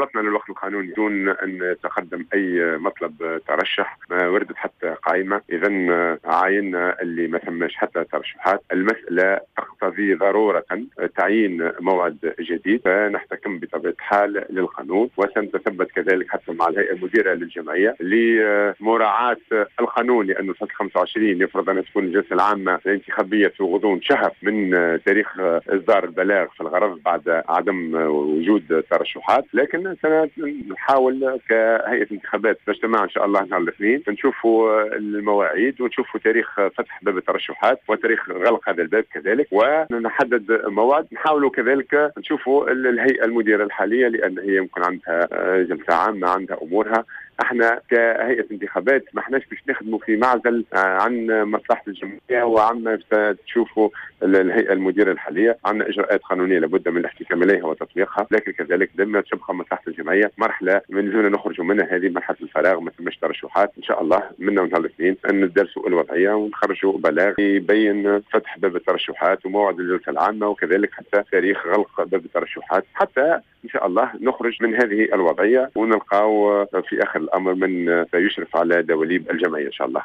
خلطنا للوقت القانوني دون ان تقدم اي مطلب ترشح، ما وردت حتى قائمه. اذا عاينا اللي ما ثماش حتى ترشحات، المسالة تقتضي ضرورة تعيين موعد جديد، فنحتكم بطبيعة الحال للقانون، وسنتثبت كذلك حتى مع الهيئة المديرة للجمعية لمراعاه القانون، لانه الفصل 25 يفرض ان تكون الجلسة العامة الانتخابية في غضون شهر من تاريخ اصدار البلاغ في الغرض بعد عدم وجود ترشحات. لكن سنحاول كهيئة انتخابات نجتمع ان شاء الله نهار الاثنين، نشوفوا المواعيد ونشوفوا تاريخ فتح باب الترشحات وتاريخ غلق هذا الباب كذلك، ونحدد موعد. نحاولوا كذلك نشوفوا الهيئة المديرة الحالية، لان هي يمكن عندها جلسه عامة، عندها امورها. احنا كهيئة انتخابات ما احناش باش نخدموا في معزل عن مصلحة الجمعية وعما تشوفوا الهيئة المديرة الحالية. عندنا اجراءات قانونية لابد من الاحتكام اليها وتطبيقها، لكن كذلك لما تبقى مصلحة الجمعية مرحلة من لازمنا نخرجوا منها، هذه مرحلة الفراغ، ما ثماش ترشحات. ان شاء الله منا نهار الاثنين ندرسوا الوضعية ونخرجوا بلاغ يبين فتح باب الترشحات وموعد الجلسة العامة، وكذلك حتى تاريخ غلق باب الترشحات، حتى ان شاء الله نخرج من هذه الوضعية ونلقاو في اخر الامر من سيشرف على دواليب الجمعية ان شاء الله.